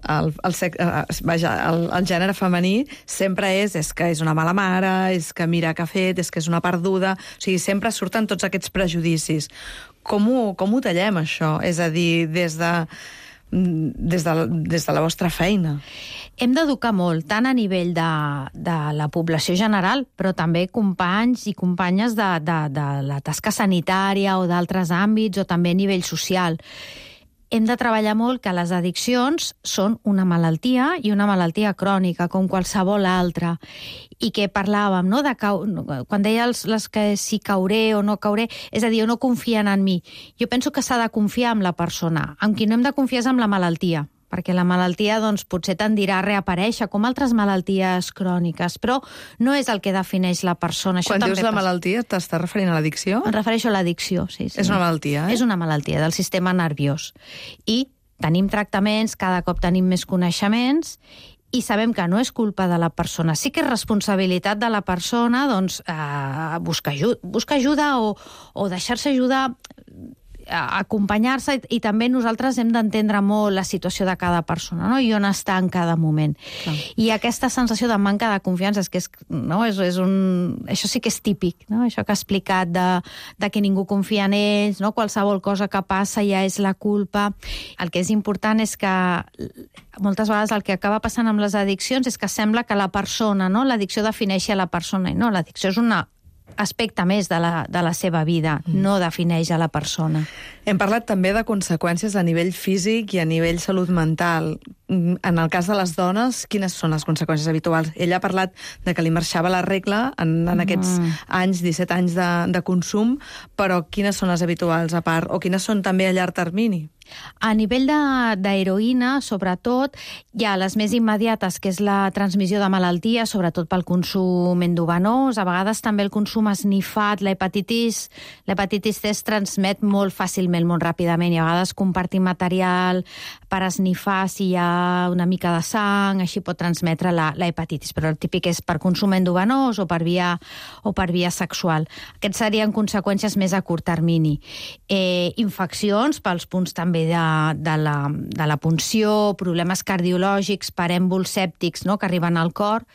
[SPEAKER 1] gènere femení sempre és que és una mala mare, és que mira què ha fet, és que és una perduda... O sigui, sempre surten tots aquests prejudicis. Com ho tallem, això? És a dir, des de la vostra feina.
[SPEAKER 5] Hem d'educar molt, tant a nivell de la població general, però també companys i companyes de la tasca sanitària o d'altres àmbits, o també a nivell social. Hem de treballar molt que les addiccions són una malaltia i una malaltia crònica, com qualsevol altra. I que parlàvem, no? Quan deia les que si cauré o no cauré, és a dir, no confien en mi. Jo penso que s'ha de confiar en la persona. Amb qui no hem de confiar és amb la malaltia, perquè la malaltia doncs, potser tendirà a reaparèixer, com altres malalties cròniques, però no és el que defineix la persona.
[SPEAKER 1] Quan dius la malaltia, t'estàs referint a l'addicció?
[SPEAKER 5] Em refereixo a l'addicció, sí.
[SPEAKER 1] És una malaltia,
[SPEAKER 5] És una malaltia del sistema nerviós. I tenim tractaments, cada cop tenim més coneixements, i sabem que no és culpa de la persona. Sí que és responsabilitat de la persona doncs, buscar ajuda o deixar-se ajudar, acompanyar-se, i també nosaltres hem d'entendre molt la situació de cada persona, no? I on està en cada moment. Clar. I aquesta sensació de manca de confiança això sí que és típic, no? Això que ha explicat de que ningú confia en ells, no? Qualsevol cosa que passa ja és la culpa. El que és important és que moltes vegades el que acaba passant amb les addiccions és que sembla que la persona, no? L'addicció defineixi a la persona, i no, l'addicció és un aspecte més de la seva vida, no defineix a la persona.
[SPEAKER 1] Hem parlat també de conseqüències a nivell físic i a nivell salut mental. En el cas de les dones, quines són les conseqüències habituals? Ella ha parlat de que li marxava la regla en aquests anys, 17 anys de consum, però quines són les habituals a part? O quines són també a llarg termini?
[SPEAKER 5] A nivell d'heroïna, sobretot, hi ha les més immediates, que és la transmissió de malalties, sobretot pel consum endovenós, a vegades també el consum esnifat, l'hepatitis C es transmet molt fàcilment, molt ràpidament, i a vegades compartir material per esnifar si hi ha una mica de sang, així pot transmetre la hepatitis, però el típic és per consum endovenós o per via sexual. Aquests serien conseqüències més a curt termini. Infeccions pels punts també de la punció, problemes cardiològics per èmbols sèptics, no?, que arriben al cor,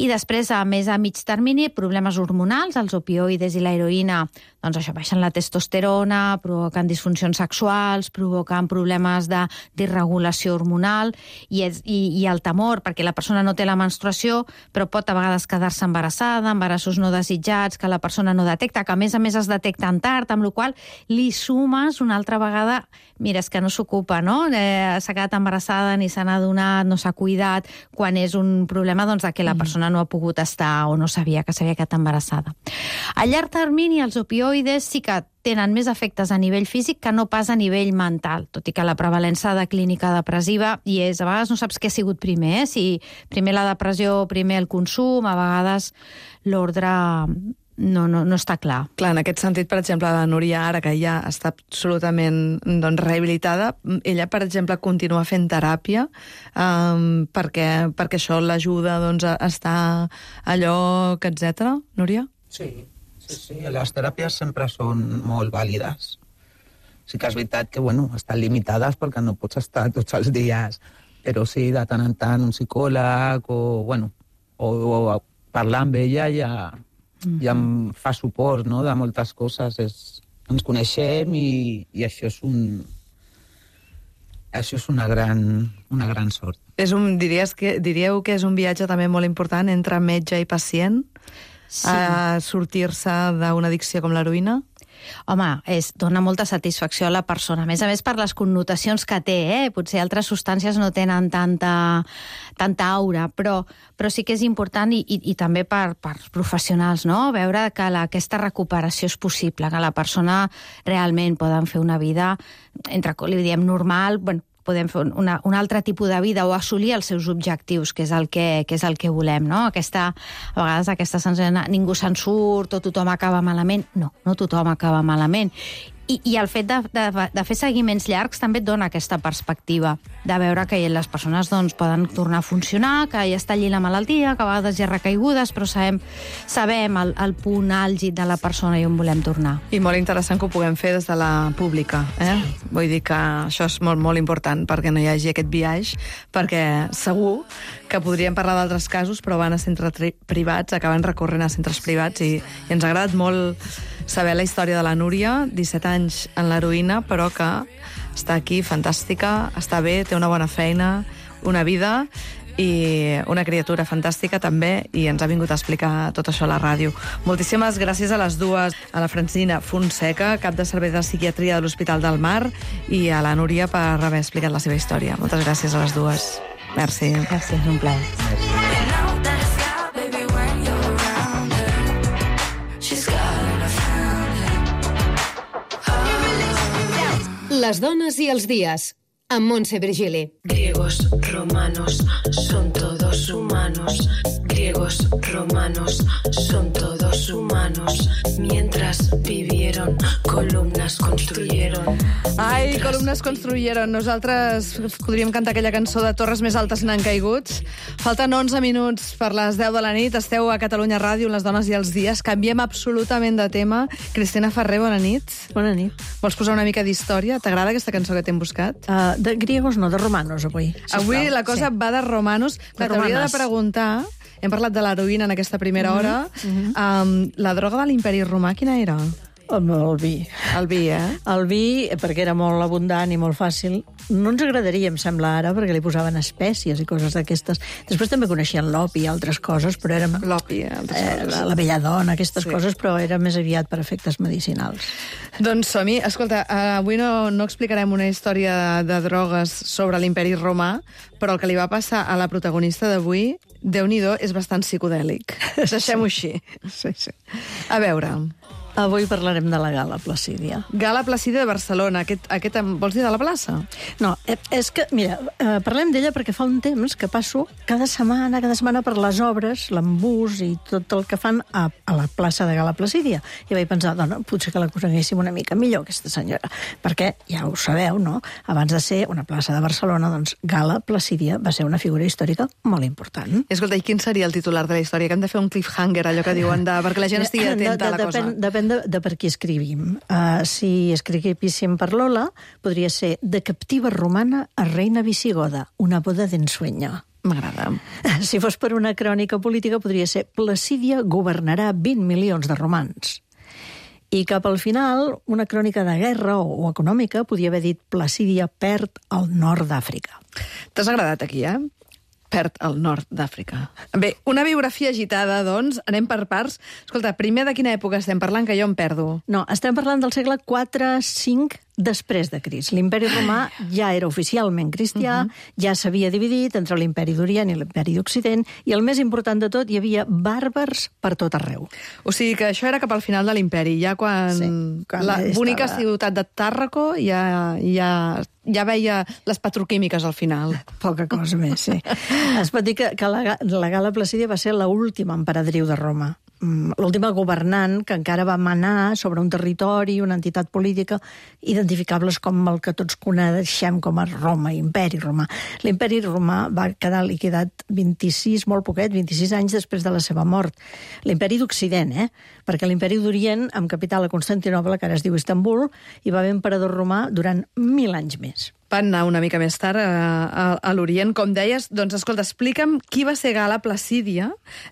[SPEAKER 5] i després, més a mig termini, problemes hormonals, els opioides i l'heroïna, doncs això, baixen la testosterona, provoquen disfuncions sexuals, provoquen problemes d'irregulació hormonal, i el temor, perquè la persona no té la menstruació, però pot a vegades quedar-se embarassada, embarassos no desitjats, que la persona no detecta, que a més es detecten tard, amb la qual li sumes una altra vegada, mira, és que no s'ocupa, no? S'ha quedat embarassada, ni se n'ha adonat, no s'ha cuidat, quan és un problema doncs, de que la persona no ha pogut estar o no sabia que s'havia quedat embarassada. A llarg termini, els opioides sí que tenen més efectes a nivell físic que no pas a nivell mental, tot i que la prevalença de clínica depressiva hi és. A vegades no saps què ha sigut primer, si primer la depressió, primer el consum, a vegades l'ordre no està clar.
[SPEAKER 1] Clar, en aquest sentit, per exemple, la Núria, ara que ja està absolutament rehabilitada, ella, per exemple, continua fent teràpia perquè això l'ajuda a estar a lloc, etc. Núria?
[SPEAKER 4] Sí. Les teràpies sempre són molt vàlides. Sí que és veritat que, estan limitades perquè no pots estar tots els dies, però sí, de tant en tant, un psicòleg o parlar amb ella ja em fa suport, no?, de moltes coses. Ens coneixem i això és una gran sort.
[SPEAKER 1] Diríeu que és un viatge també molt important entre metge i pacient? a sortir-se d'una addicció com l'heroïna?
[SPEAKER 5] Home, dona molta satisfacció a la persona. A més per les connotacions que té, Potser altres substàncies no tenen tanta aura, però sí que és important i també per professionals, no? Veure que aquesta recuperació és possible, que la persona realment poden fer una vida, li diem normal, podem fer un altre tipus de vida o assolir els seus objectius, que és el que volem, no? A vegades aquesta sensació de ningú se'n surt o tothom acaba malament. No tothom acaba malament. I el fet de fer seguiments llargs també et dona aquesta perspectiva de veure que les persones poden tornar a funcionar, que ja està allí la malaltia, que a vegades hi ha recaigudes, però sabem el punt àlgid de la persona i on volem tornar.
[SPEAKER 1] I molt interessant que ho puguem fer des de la pública. Sí. Vull dir que això és molt, molt important perquè no hi hagi aquest biaix, perquè segur que podríem parlar d'altres casos, però van a centres privats, acaben recorrent a centres privats i ens ha agradat molt saber la història de la Núria, 17 anys en l'heroïna, però que està aquí, fantàstica, està bé, té una bona feina, una vida i una criatura fantàstica també, i ens ha vingut a explicar tot això a la ràdio. Moltíssimes gràcies a les dues, a la Francina Fonseca, cap de servei de psiquiatria de l'Hospital del Mar, i a la Núria per haver explicat la seva història. Moltes gràcies a les dues. Merci.
[SPEAKER 5] Gràcies, un plaer.
[SPEAKER 7] Les dones i els dies, amb Montse Virgili.
[SPEAKER 8] Griegos, romanos, son todos humanos. Griegos, romanos, son todos humanos. Mientras vivieron, columnas construyeron.
[SPEAKER 1] Ai, columnes construyeron. Nosaltres podríem cantar aquella cançó de Torres més altes n'han caigut. Falten 11 minuts per les 10 de la nit. Esteu a Catalunya Ràdio, Les dones i els dies. Canviem absolutament de tema. Cristina Ferrer, bona nit.
[SPEAKER 9] Bona nit.
[SPEAKER 1] Vols posar una mica d'història? T'agrada aquesta cançó que t'hem buscat?
[SPEAKER 9] De griegos no, de romanos, avui.
[SPEAKER 1] Avui la cosa va de romanos. T'hauria de preguntar... Hem parlat de l'heroïna en aquesta primera hora. La droga de l'imperi romà, quina era?
[SPEAKER 9] El vi.
[SPEAKER 1] El vi,
[SPEAKER 9] El vi, perquè era molt abundant i molt fàcil. No ens agradaria, em sembla ara, perquè li posaven espècies i coses d'aquestes. Després també coneixien l'opi i altres coses, però érem...
[SPEAKER 1] L'opi, altres coses.
[SPEAKER 9] La belladona, aquestes coses, però era més aviat per efectes medicinals.
[SPEAKER 1] Doncs som-hi. Escolta, avui no explicarem una història de drogues sobre l'imperi romà, però el que li va passar a la protagonista d'avui, Déu-n'hi-do, és bastant psicodèlic. Deixem-ho així.
[SPEAKER 9] Sí.
[SPEAKER 1] A veure...
[SPEAKER 9] Avui parlarem de la Gala Placídia.
[SPEAKER 1] Gala Placídia de Barcelona. Aquest vols dir de la plaça?
[SPEAKER 9] No, és que, mira, parlem d'ella perquè fa un temps que passo cada setmana per les obres, l'embús i tot el que fan a la plaça de Gala Placídia. I vaig pensar, doncs, potser que la coneguéssim una mica millor, aquesta senyora. Perquè, ja ho sabeu, no? Abans de ser una plaça de Barcelona, doncs Gala Placídia va ser una figura històrica molt important.
[SPEAKER 1] Escolta, i quin seria el titular de la història? Que hem de fer un cliffhanger, allò que diuen, perquè la gent estigui atenta a la cosa.
[SPEAKER 9] Depèn de per qui escrivim. Si escriguéssim per Lola, podria ser de captiva romana a reina visigoda, una boda d'ensueño.
[SPEAKER 1] M'agrada.
[SPEAKER 9] Si fos per una crònica política, podria ser Placídia governarà 20 milions de romans. I cap al final, una crònica de guerra o econòmica podia haver dit Placídia perd el nord d'Àfrica.
[SPEAKER 1] T'has agradat aquí, perd el nord d'Àfrica. Bé, una biografia agitada, doncs, anem per parts. Escolta, primer de quina època estem parlant, que jo em perdo?
[SPEAKER 9] No, estem parlant del segle IV-V després de Crist. L'imperi romà ja era oficialment cristià, ja s'havia dividit entre l'imperi d'Orient i l'imperi d'Occident, i el més important de tot, hi havia bàrbars per tot arreu.
[SPEAKER 1] O sigui que això era cap al final de l'imperi, ja quan la bonica ciutat de Tàrraco ja veia les petroquímiques al final.
[SPEAKER 9] Poca cosa més, sí. Es pot dir que la Gala Placídia va ser l'última emperadriu de Roma. L'última governant que encara va manar sobre un territori, una entitat política, identificables com el que tots coneixem com a Roma, imperi romà. L'imperi romà va quedar liquidat 26 anys després de la seva mort. L'imperi d'Occident, perquè l'imperi d'Orient, amb capital a Constantinoble, que ara es diu Istanbul, hi va haver emperador romà durant 1000 anys més.
[SPEAKER 1] Van anar una mica més tard a l'Orient, com deies. Doncs, escolta, explica'm qui va ser Gala Placídia,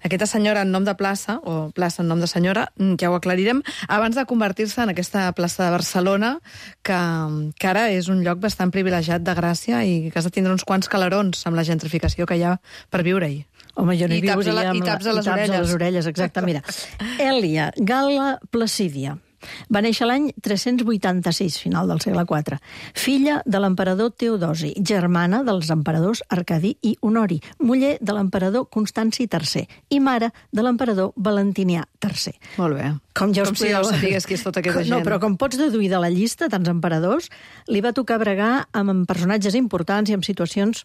[SPEAKER 1] aquesta senyora en nom de plaça, o plaça en nom de senyora, ja ho aclarirem, abans de convertir-se en aquesta plaça de Barcelona, que ara és un lloc bastant privilegiat de Gràcia i que has de tindre uns quants calarons amb la gentrificació que hi ha per viure-hi.
[SPEAKER 9] Home, jo no hi
[SPEAKER 1] I taps a
[SPEAKER 9] viuria
[SPEAKER 1] i taps a les
[SPEAKER 9] orelles, exacte. Mira, Èlia Gal·la Placídia va néixer l'any 386, final del segle IV. Filla de l'emperador Teodosi, germana dels emperadors Arcadi i Honori, muller de l'emperador Constanci III i mare de l'emperador Valentinià III.
[SPEAKER 1] Molt bé.
[SPEAKER 9] Com ja us
[SPEAKER 1] si ja ho sapigués qui és tota aquesta gent.
[SPEAKER 9] No, però com pots deduir de la llista, tants emperadors, li va tocar bregar amb personatges importants i amb situacions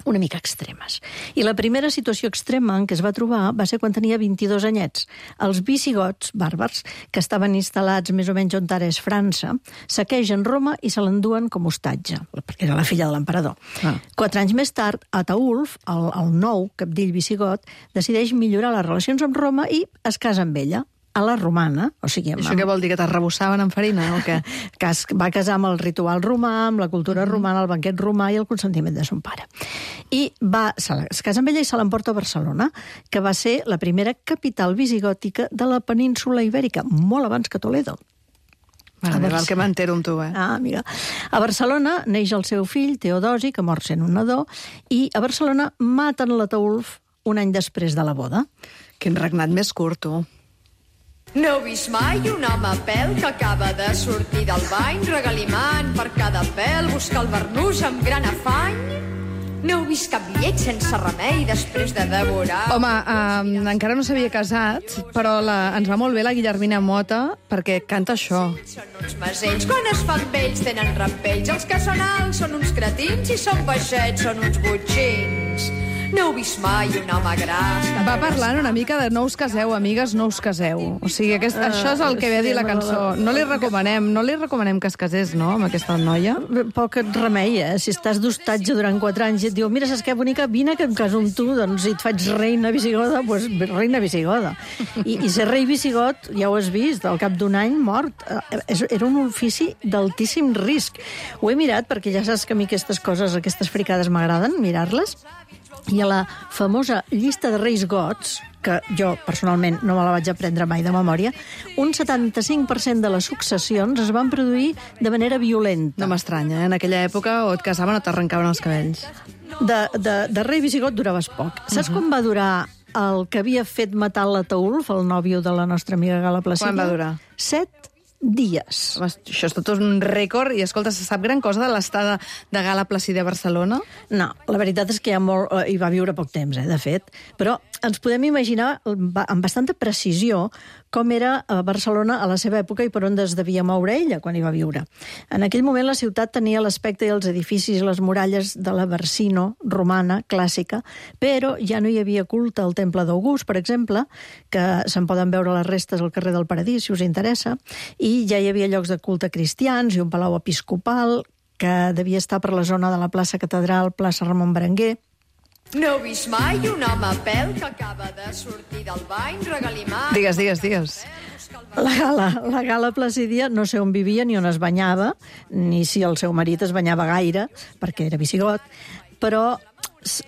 [SPEAKER 9] una mica extremes. I la primera situació extrema en què es va trobar va ser quan tenia 22 anyets. Els visigots, bàrbars, que estaven instal·lats més o menys on ara és França, saquegen Roma i se l'enduen com hostatge, perquè era la filla de l'emperador. 4 anys més tard, Ataulf, el nou capdill visigot, decideix millorar les relacions amb Roma i es casa amb ella, a la romana, o sigui...
[SPEAKER 1] Això què vol dir, que t'arrebossaven amb farina o què?
[SPEAKER 9] Que va casar amb el ritual romà, amb la cultura romana, el banquet romà i el consentiment de son pare. I es casa amb ella i se l'emporta a Barcelona, que va ser la primera capital visigòtica de la península Ibèrica, molt abans que Toledo.
[SPEAKER 1] El que m'entero amb tu,
[SPEAKER 9] amiga. A Barcelona neix el seu fill, Teodosi, que mor sent un nadó, i a Barcelona maten l'Ataulf un any després de la boda.
[SPEAKER 1] Quin regnat més curt, tu.
[SPEAKER 10] No heu vist mai un home a pèl que acaba de sortir del bany, regalimant per cada pèl, buscar el barnús amb gran afany? No heu vist cap llet sense remei després de devorar...
[SPEAKER 1] Home, encara no s'havia casat, però ens va molt bé la Guillermina Mota, perquè canta això.
[SPEAKER 10] Són uns masells, quan es fan vells tenen rampells, els que són alts són uns cretins i són baixets són uns botxins. No heu vist mai un home gras...
[SPEAKER 1] Va parlant una mica de no us caseu, amigues, no us caseu. O sigui, això és el que ve a dir la cançó. No li recomanem que es casés, no?, amb aquesta noia.
[SPEAKER 9] Poc et remei, Si estàs d'hostatge durant 4 anys i et diu, mira, saps què, bonica, vine que em caso amb tu, doncs si et faig reina visigoda, doncs reina visigoda. I ser rei visigot, ja ho has vist, al cap d'un any mort. Era un ofici d'altíssim risc. Ho he mirat, perquè ja saps que a mi aquestes coses, aquestes fricades m'agraden, mirar-les. I a la famosa llista de reis gots, que jo personalment no me la vaig aprendre mai de memòria, un 75% de les successions es van produir de manera violenta.
[SPEAKER 1] No m'estranya, En aquella època o et casaven o t'arrencaven els cabells.
[SPEAKER 9] De rei visigot duraves poc. Saps quan va durar el que havia fet matar l'Ataulf, el nòvio de la nostra amiga Gal·la Placídia?
[SPEAKER 1] Quan va durar?
[SPEAKER 9] 7 dies.
[SPEAKER 1] Home, això és tot un rècord. I, escolta, se sap gran cosa de l'estada de Gal·la Placídia a Barcelona?
[SPEAKER 9] No, la veritat és que hi va viure poc temps, de fet. Però ens podem imaginar amb bastanta precisió com era a Barcelona a la seva època i per on es devia moure ella quan hi va viure. En aquell moment la ciutat tenia l'aspecte i els edificis i les muralles de la Barsino romana clàssica, però ja no hi havia culte al Temple d'August, per exemple, que se'n poden veure les restes al carrer del Paradís, si us interessa, i ja hi havia llocs de culte cristians i un palau episcopal que devia estar per la zona de la plaça Catedral, plaça Ramon Berenguer.
[SPEAKER 10] No heu vist mai un home a pèl que acaba de sortir del bany, regalimant...
[SPEAKER 1] Digues.
[SPEAKER 9] La Gal·la Placídia no sé on vivia ni on es banyava, ni si el seu marit es banyava gaire, perquè era visigot, però si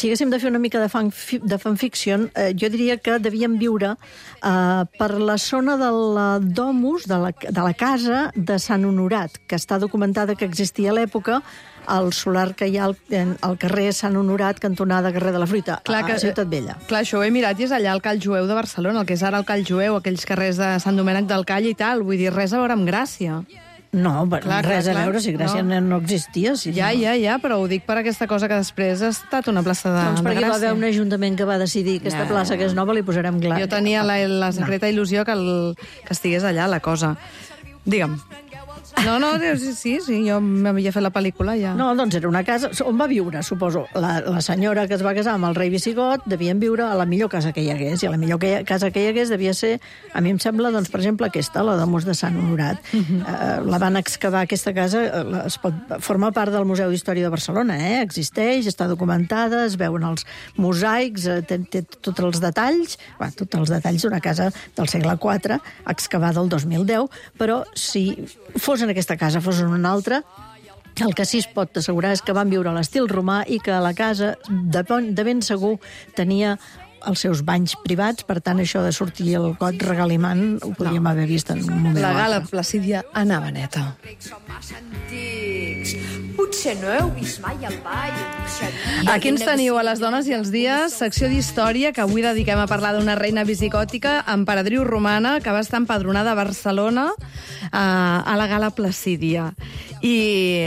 [SPEAKER 9] haguéssim de fer una mica de fanfiction, jo diria que devien viure per la zona de la domus, de la casa de Sant Honorat, que està documentada que existia a l'època, al solar que hi ha al carrer Sant Honorat, cantonada carrer de la Fruita, a Ciutat Vella.
[SPEAKER 1] Clar, això ho he mirat i és allà al Call Jueu de Barcelona, el que és ara el Call Jueu, aquells carrers de Sant Domènec del Call i tal, vull dir, res a veure amb Gràcia.
[SPEAKER 9] No, res a veure, si Gràcia no existia.
[SPEAKER 1] Ja, però ho dic per aquesta cosa que després ha estat una plaça de Gràcia.
[SPEAKER 9] Doncs perquè va haver un ajuntament que va decidir que aquesta plaça que és nova li posarem Gràcia.
[SPEAKER 1] Jo tenia la secreta il·lusió que estigués allà, la cosa. Digue'm. No, sí, jo m'havia fet la pel·lícula ja.
[SPEAKER 9] No, doncs era una casa on va viure, suposo. La senyora que es va casar amb el rei visigot devien viure a la millor casa que hi hagués, i a la millor casa que hi hagués devia ser, a mi em sembla, doncs, per exemple, aquesta, la domus de Sant Honorat. La van excavar, aquesta casa, forma part del Museu d'Història de Barcelona, existeix, està documentada, es veuen els mosaics, té tots els detalls d'una casa del segle IV, excavada el 2010, però si fos en aquesta casa, fos en una altra, el que sí es pot assegurar és que van viure a l'estil romà i que la casa, de ben segur, tenia els seus banys privats, per tant, això de sortir el got regalimant ho podríem haver vist en un moment.
[SPEAKER 1] La Gala Placídia anava neta.
[SPEAKER 10] Potser no heu vist mai el ball.
[SPEAKER 1] Aquí ens teniu a les dones i els dies, secció d'història, que avui dediquem a parlar d'una reina visigòtica, emperadriu romana, que va estar empadronada a Barcelona a la Gala Placídia. I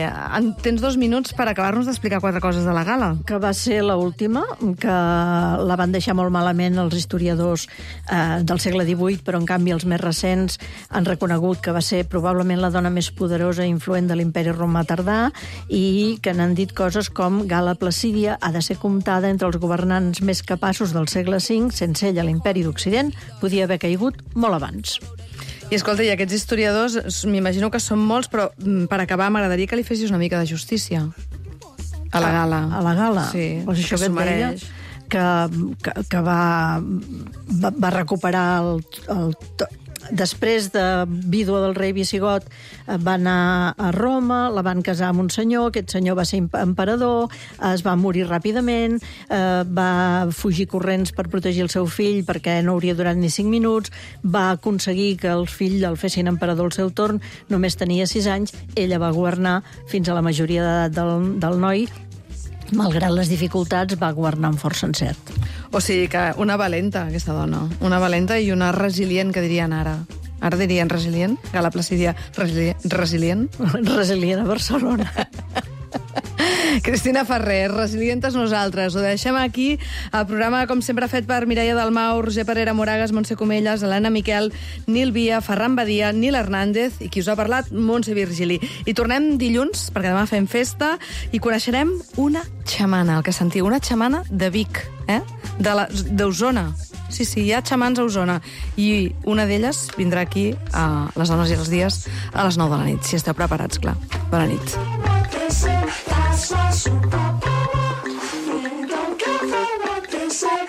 [SPEAKER 1] tens 2 minuts per acabar-nos d'explicar 4 coses de la gala.
[SPEAKER 9] Que va ser l'última, que la van deixar molt malament els historiadors del segle XVIII, però en canvi els més recents han reconegut que va ser probablement la dona més poderosa i influent de l'imperi romà tardà, i que n'han dit coses com Gala Placídia ha de ser comptada entre els governants més capaços del segle V, sense ella l'imperi d'Occident podia haver caigut molt abans.
[SPEAKER 1] I escolta, i aquests historiadors, m'imagino que són molts, però per acabar m'agradaria que li fessis una mica de justícia a la gala.
[SPEAKER 9] A la gala?
[SPEAKER 1] Sí,
[SPEAKER 9] pues això que et deia, que va recuperar després de vídua del rei visigot, va anar a Roma, la van casar amb un senyor, aquest senyor va ser emperador, es va morir ràpidament, va fugir corrents per protegir el seu fill perquè no hauria durat ni 5 minuts, va aconseguir que el fill el fessin emperador al seu torn, només tenia 6 anys, ella va governar fins a la majoria d'edat del noi, malgrat les dificultats, va governar amb força encert.
[SPEAKER 1] O sigui que una valenta, aquesta dona. Una valenta i una resilient, que dirien ara. Ara dirien resilient? Gala Placídia resilient?
[SPEAKER 9] Resilient a Barcelona.
[SPEAKER 1] Cristina Ferrer, resilientes nosaltres. Ho deixem aquí. El programa, com sempre, fet per Mireia Dalmau, Roger Parera Moragas, Montse Comelles, Helena Miquel, Nil Via, Ferran Badia, Nil Hernández i qui us ha parlat, Montse Virgili. I tornem dilluns, perquè demà fem festa, i coneixerem una xamana, el que sentiu, una xamana de Vic, d'Osona. Sí, hi ha xamans a Osona. I una d'elles vindrà aquí a les dones i els dies a les 9 de la nit, si esteu preparats, clar. Bona nit.
[SPEAKER 3] That's why